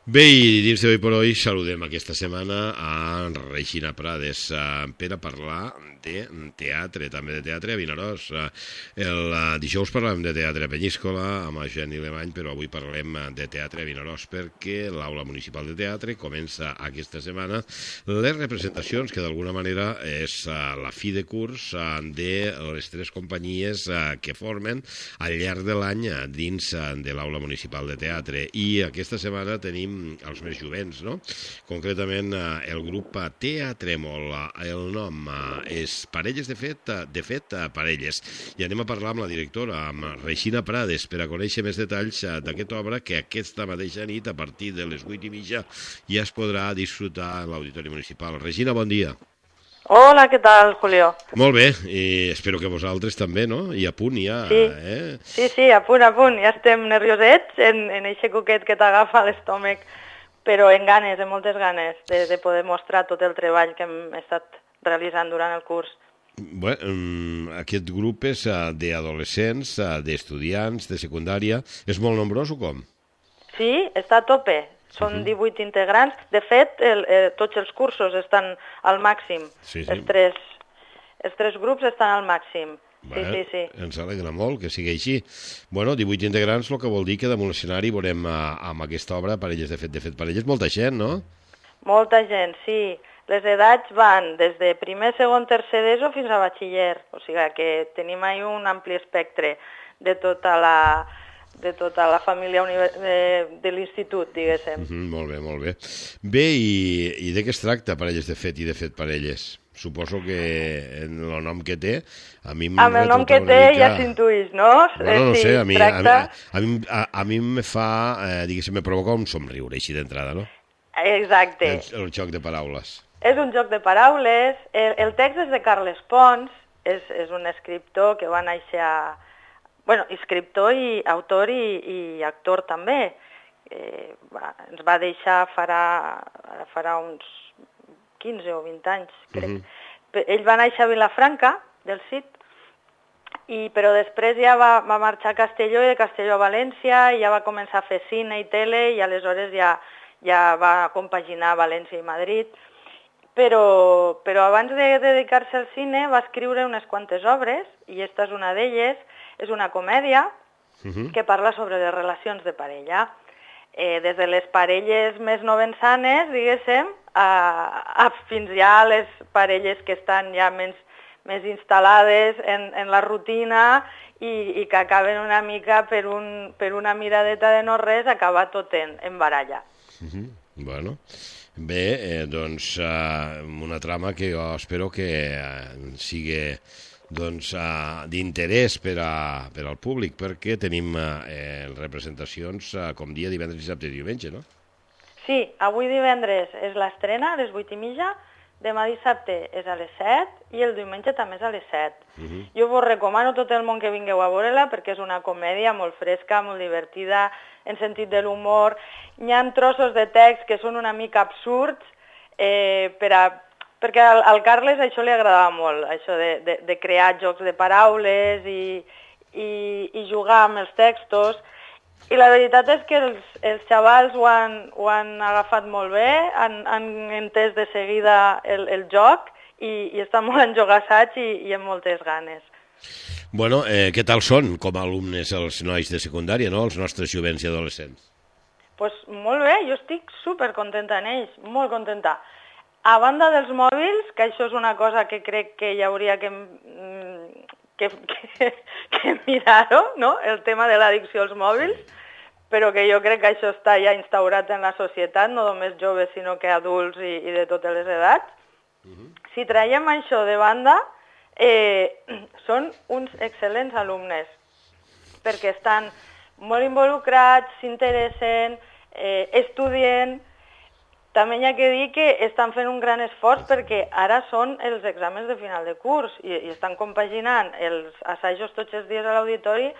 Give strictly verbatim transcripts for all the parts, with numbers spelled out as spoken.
Bé, i dins d'Hoy por Hoy saludem aquesta setmana a Regina Prades uh, per a parlar de teatre, també de teatre a Vinaròs. Uh, el uh, dijous parlàvem de teatre a Penyíscola amb Geni Alemany, però avui parlem de teatre a Vinaròs perquè l'Aula Municipal de Teatre comença aquesta setmana les representacions, que d'alguna manera és uh, la fi de curs uh, de les tres companyies uh, que formen al llarg de l'any uh, dins uh, de l'Aula Municipal de Teatre. I aquesta setmana tenim els més jovents, no? Concretament el grup Teatrèmol, el nom és Parelles de Fet, de Fet Parelles, i anem a parlar amb la directora, amb Regina Prades, per a conèixer més detalls d'aquesta obra que aquesta mateixa nit, a partir de les vuit i mitja, ja es podrà disfrutar en l'Auditori Municipal. Regina, bon dia. Hola, què tal, Julio? Molt bé, i espero que vosaltres també, no? I a punt ja, sí. eh? Sí, sí, a punt, a punt. Ja estem nerviosets en, en eixe coquet que t'agafa l'estómac, però en ganes, en moltes ganes, de, de poder mostrar tot el treball que hem estat realitzant durant el curs. Bé, um, aquest grup és uh, d'adolescents, uh, d'estudiants, de secundària. És molt nombrós o com? Sí, està a tope. Són uh-huh. divuit integrants. De fet, el, eh, tots els cursos estan al màxim. Sí, sí. Els, tres, els tres grups estan al màxim. Bé, sí, sí, sí. Ens alegra molt que sigui així. Bueno, divuit integrants, el que vol dir que damunt l'escenari veurem uh, amb aquesta obra Parelles de Fet, de Fet Parelles, molta gent, no? Molta gent, sí. Les edats van des de primer, segon, tercer d'ESO fins a batxiller. O sigui que tenim ahí un ampli espectre de tota la... de tota la família de, de l'institut, diguéssim. Mm -hmm, molt bé, molt bé. Bé, i, i de què es tracta Parelles de Fet i de Fet Parelles? Suposo que en el nom que té, a mi... Amb el nom que té mica... ja s'intuís, no? Bueno, no sí, sé, a mi, tracta... a, mi, a, a mi me fa, eh, diguéssim, me provoca un somriure així d'entrada, no? Exacte. El, el joc de paraules. És un joc de paraules. El, el text és de Carles Pons, és, és un escriptor que va néixer a... Bueno, escriptor i autor i, i actor també. Eh, va, ens va deixar farà, farà uns quinze o vint anys, crec. Uh-huh. Ell va néixer a Vilafranca, del Cid, i, però després ja va, va marxar a Castelló i de Castelló a València, i ja va començar a fer cine i tele, i aleshores ja, ja va compaginar València i Madrid. Però, però abans de dedicar-se al cine va escriure unes quantes obres, i aquesta és una d'elles. És una comèdia uh-huh. que parla sobre les relacions de parella. Eh, des de les parelles més novençanes, diguéssim, a, a fins ja a les parelles que estan ja més, més instal·lades en, en la rutina i, i que acaben una mica per, un, per una miradeta de no res, acaba tot en, en baralla. Uh-huh. Bueno... Bé, eh, doncs uh, una trama que jo espero que uh, sigui doncs, uh, d'interès per, a, per al públic, perquè tenim uh, eh, representacions uh, com dia divendres, dissabte i diumenge, no? Sí, avui divendres és l'estrena a les vuit i mitja, demà dissabte és a les set i el diumenge també és a les set. Uh-huh. Jo vos recomano a tot el món que vingueu a veure-la perquè és una comèdia molt fresca, molt divertida, en sentit de l'humor. Hi ha trossos de text que són una mica absurds, eh, per a, perquè al, al Carles això li agradava molt, això de, de, de crear jocs de paraules i, i, i jugar amb els textos. I la veritat és que els, els xavals ho han, ho han agafat molt bé, han, han entès de seguida el, el joc i, i estan molt enjogassats i, i amb moltes ganes. Bueno, eh, què tal són com a alumnes els nois de secundària, no? Els nostres jovents i adolescents? Doncs pues molt bé, jo estic supercontenta en ells, molt contenta. A banda dels mòbils, que això és una cosa que crec que hi hauria que, que, que, que mirar-ho, no? El tema de l'addicció als mòbils, però que jo crec que això està ja instaurat en la societat, no només joves, sinó que adults i, i de totes les edats. Uh-huh. Si traiem això de banda, eh, són uns excel·lents alumnes, perquè estan molt involucrats, s'interessen, eh, estudien. També hi ha que dir que estan fent un gran esforç perquè ara són els exàmens de final de curs i, i estan compaginant els assajos tots els dies a l'auditori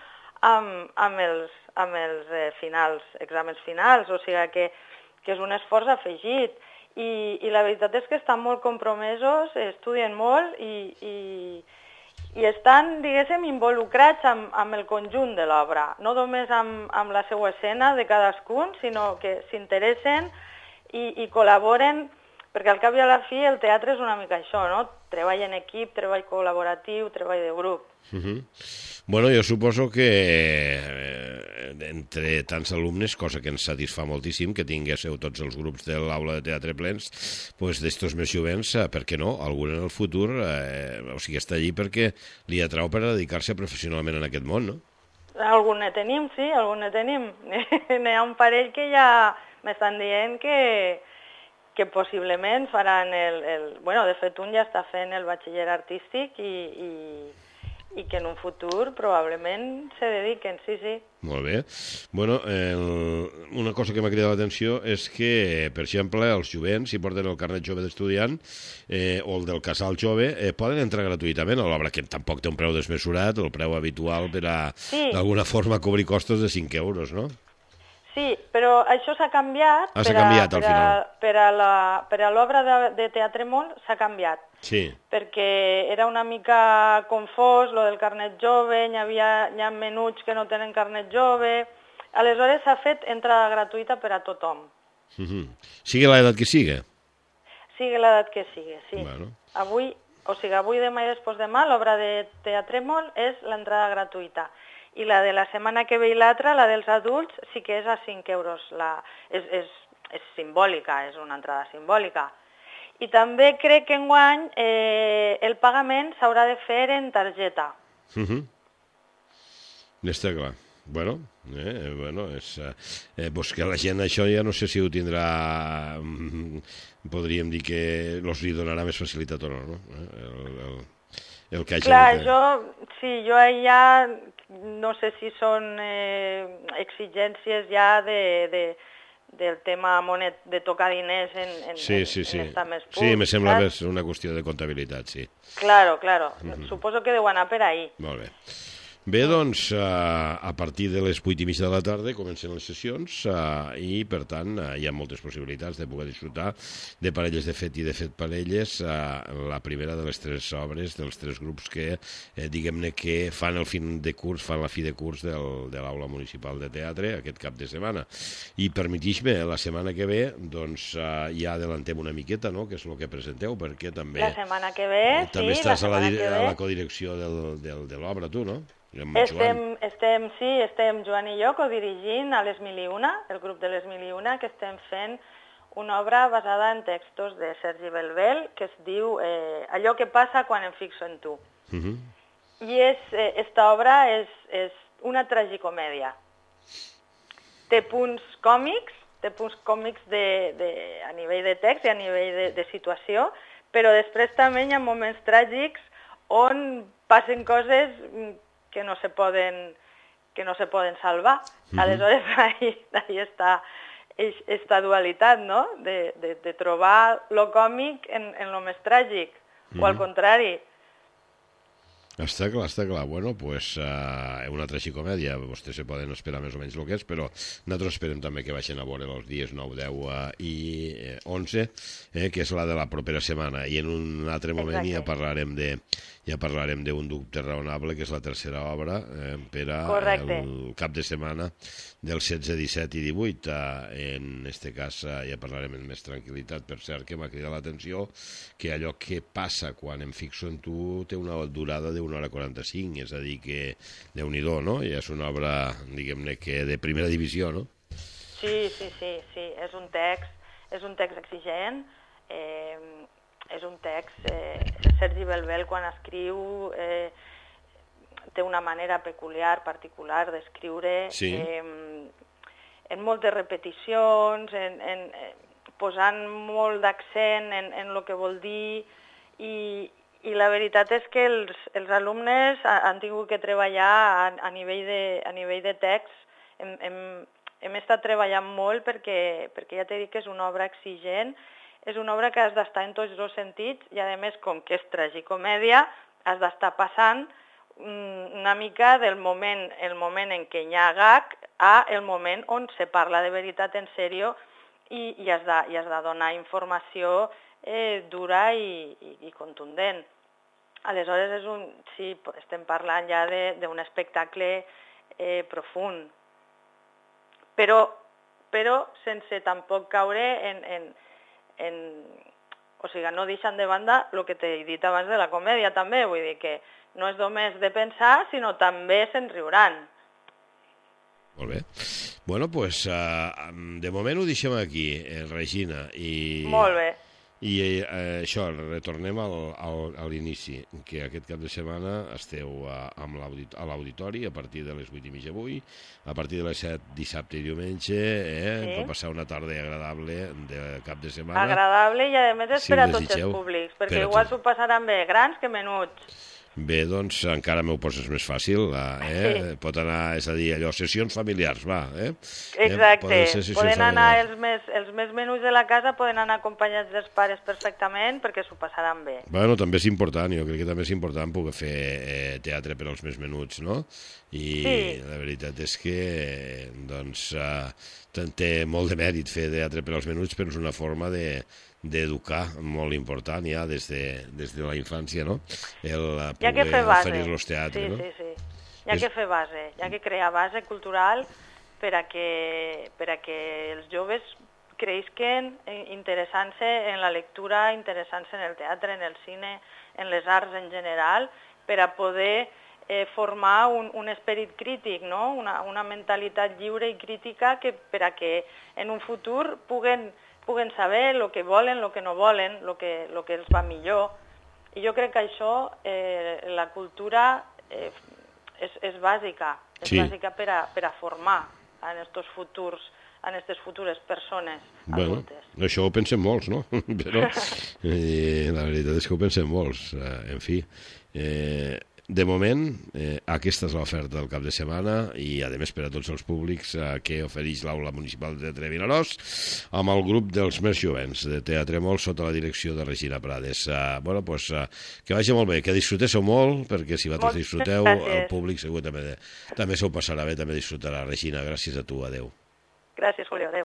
amb, amb els, amb els eh, finals, exàmens finals, o sigui que, que és un esforç afegit. I, i la veritat és que estan molt compromesos, estudien molt i, i, i estan, diguéssim, involucrats amb, amb el conjunt de l'obra, no només amb, amb la seva escena de cadascun, sinó que s'interessen i, i col·laboren, perquè al cap i a la fi el teatre és una mica això, no? Treball en equip, treball col·laboratiu, treball de grup. Uh -huh. Bueno, jo suposo que eh, entre tants alumnes, cosa que ens satisfà moltíssim, que tinguéssiu tots els grups de l'aula de teatre plens, pues d'estos més jovents, eh, per què no? Algun en el futur, eh, o sigui, està allí perquè li atrau per a dedicar-se professionalment en aquest món, no? Algun ne tenim, sí, algun ne tenim. N'hi ha un parell que ja m'estan dient que que possiblement faran el, el... Bueno, de fet, un ja està fent el batxiller artístic i, i, i que en un futur probablement se dediquen, sí, sí. Molt bé. Bueno, el, una cosa que m'ha cridat l'atenció és que, per exemple, els jovents, si porten el carnet jove d'estudiant eh, o el del casal jove, eh, poden entrar gratuïtament a l'obra, que tampoc té un preu desmesurat, el preu habitual per a, sí, d'alguna forma, cobrir costos de cinc euros, no? Sí, però això s'ha canviat, ah, per, a, canviat per, a, per, a la, per a l'obra de, de Teatre Mol s'ha canviat, sí, perquè era una mica confós, lo del carnet jove, hi havia, hi ha menuts que no tenen carnet jove, aleshores s'ha fet entrada gratuïta per a tothom. Uh -huh. Sigui l'edat que sigui? Sigui l'edat que sigui, sí. Bueno. Avui, o sigui, avui, demà i després demà, l'obra de Teatre Mol és l'entrada gratuïta. I la de la setmana que ve i l'altra, la dels adults, sí que és a cinc euros. La, és, és, és simbòlica, és una entrada simbòlica. I també crec que enguany eh, el pagament s'haurà de fer en targeta. Uh -huh. Està clar. Bueno, eh, bueno és, eh, pues que la gent això ja no sé si ho tindrà, podríem dir que els li donarà més facilitat o no, no? El, el, el que hagi clar, de... jo, sí, jo ja no sé si són eh, exigències ja de, de, del tema monet, de tocar diners en, en, sí, sí, sí. en estar més pur. Sí, me sembla que és una qüestió de comptabilitat, sí. Claro, claro. Uh -huh. Suposo que deu anar per ahí. Molt bé. Bé, doncs, a partir de les vuit i mitja de la tarda comencen les sessions i, per tant, hi ha moltes possibilitats de poder disfrutar de parelles de fet i de fet parelles, la primera de les tres obres, dels tres grups que, diguem-ne, que fan el fin de curs, fan la fi de curs del, de l'Aula Municipal de Teatre aquest cap de setmana. I permetix-me, la setmana que ve, doncs, ja adelantem una miqueta, no?, que és el que presenteu, perquè també... La setmana que ve, també sí, estàs la a la, que ve. a la codirecció del, del, de l'obra, tu, no? Estem, estem, sí, estem Joan i jo codirigint a les Mil i Una, el grup de les Mil i Una, que estem fent una obra basada en textos de Sergi Belbel, que es diu eh, Allò que passa quan em fixo en tu. Uh -huh. I és, eh, esta obra és, és una tragicomèdia. Té punts còmics, té punts còmics de, de, a nivell de text i a nivell de, de situació, però després també hi ha moments tràgics on passen coses que no se poden, que no se poden salvar. Uh -huh. Aleshores, ahí, ahí està esta dualitat, no?, de, de, de trobar lo còmic en, en lo més tràgic, uh -huh. o al contrari. Està clar, està clar. Bueno, pues uh, una tragicomèdia, vostès se poden esperar més o menys el que és, però nosaltres esperem també que baixen a veure els dies nou, deu uh, i eh, onze, eh, que és la de la propera setmana, i en un altre moment Exacte. ja parlarem de ja parlarem d'un dubte raonable, que és la tercera obra, eh, per a Correcte. el cap de setmana del setze, disset i divuit. Eh, en este cas eh, ja parlarem amb més tranquil·litat. Per cert, que m'ha cridat l'atenció que allò que passa quan em fixo en tu té una durada d'una hora quaranta-cinc, és a dir que, Déu-n'hi-do, no? Ja és una obra, diguem-ne, que de primera divisió, no? Sí, sí, sí, sí. És un text, és un text exigent, eh, és un text... Eh, Sergi Belbel, quan escriu, eh, té una manera peculiar, particular d'escriure, sí. eh, en moltes repeticions, en, en, eh, posant molt d'accent en, en el que vol dir, i, i la veritat és que els, els alumnes han tingut que treballar a, a, nivell, de, a nivell de text. Hem, hem, hem estat treballant molt perquè, perquè ja t'he dit que és una obra exigent. És una obra que has d'estar en tots dos sentits i, a més, com que és tragicomèdia, has d'estar passant una mica del moment, el moment en què hi ha gag a el moment on se parla de veritat en sèrio i, i, has, de, i has de donar informació eh, dura i, i, i contundent. aleshores és un, sí, estem parlant ja d'un espectacle eh, profund, però, però sense tampoc caure en, en, en... O sigui, no deixant de banda el que t'he dit abans de la comèdia també, vull dir que no és només de pensar, sinó també se'n riuran. Molt bé. Bueno, doncs, pues, uh, de moment ho deixem aquí, eh, Regina. I... Molt bé. I eh, això, retornem al, al, a l'inici, que aquest cap de setmana esteu a, amb l'audit, a l'auditori a partir de les vuit i mitja avui, a partir de les set dissabte i diumenge, eh, sí. Per passar una tarda agradable de cap de setmana. Agradable i a més és si per a tots els públics, perquè per igual s'ho passaran bé grans que menuts. Bé, doncs encara m'ho poses més fàcil, eh? Sí. Pot anar, és a dir, allò, sessions familiars, va, eh? Exacte, eh? Poden, poden anar els més, els més menuts de la casa, poden anar acompanyats dels pares perfectament perquè s'ho passaran bé. Bueno, també és important, jo crec que també és important poder fer eh, teatre per als més menuts, no? I sí. La veritat és que, doncs, eh, té molt de mèrit fer teatre per als menuts, però és una forma de d'educar molt important ja des de, des de la infància, no? El poder oferir-los teatre, sí, no? Sí, sí, sí. Hi ha és... que fer base, hi ha que crear base cultural per a que, per a que els joves creixen interessant-se en la lectura, interessant-se en el teatre, en el cine, en les arts en general, per a poder eh, formar un, un esperit crític, no? Una, una mentalitat lliure i crítica que, per a que en un futur puguen puguen saber el que volen, el que no volen, el que, lo que els va millor. I jo crec que això, eh, la cultura eh, és, és bàsica, és sí. bàsica per a, per a formar en estos futurs, en aquestes futures persones adultes. Bueno, això ho pensem molts, no? Però eh, la veritat és que ho pensem molts. Eh, en fi, eh, de moment, eh, aquesta és l'oferta del cap de setmana i, a més, per a tots els públics eh, que ofereix l'Aula Municipal de Teatre Vinaròs amb el grup dels més jovents de Teatre Molt sota la direcció de Regina Prades. Eh, bueno, doncs, eh, que vagi molt bé, que disfruteu molt, perquè si vosaltres disfruteu, el públic segur també, també s'ho passarà bé, també disfrutarà. Regina, gràcies a tu, adeu. Gràcies, Julio, adeu.